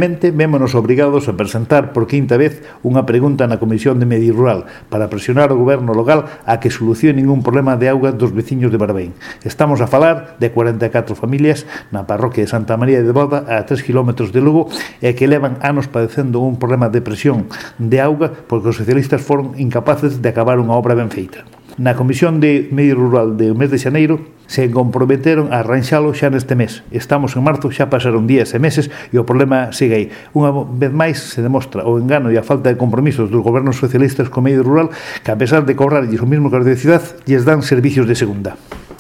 Vémonos obrigados a presentar por quinta vez unha pregunta na Comisión de Medio Rural para presionar o goberno local a que solucione un problema de auga dos veciños de Barbeín. Estamos a falar de 44 familias na parroquia de Santa María de Boda, a 3 km de Lugo, e que levan anos padecendo un problema de presión de auga porque os socialistas foron incapaces de acabar unha obra ben feita. Na Comisión de Medio Rural do mes de xaneiro se comprometeron a arranxalo xa neste mes. Estamos en marzo, xa pasaron días e meses e o problema segue aí. Unha vez máis se demostra o engano e a falta de compromisos dos gobernos socialistas co medio rural que, a pesar de cobrarlles o mismo que a cidade, lles dan servicios de segunda.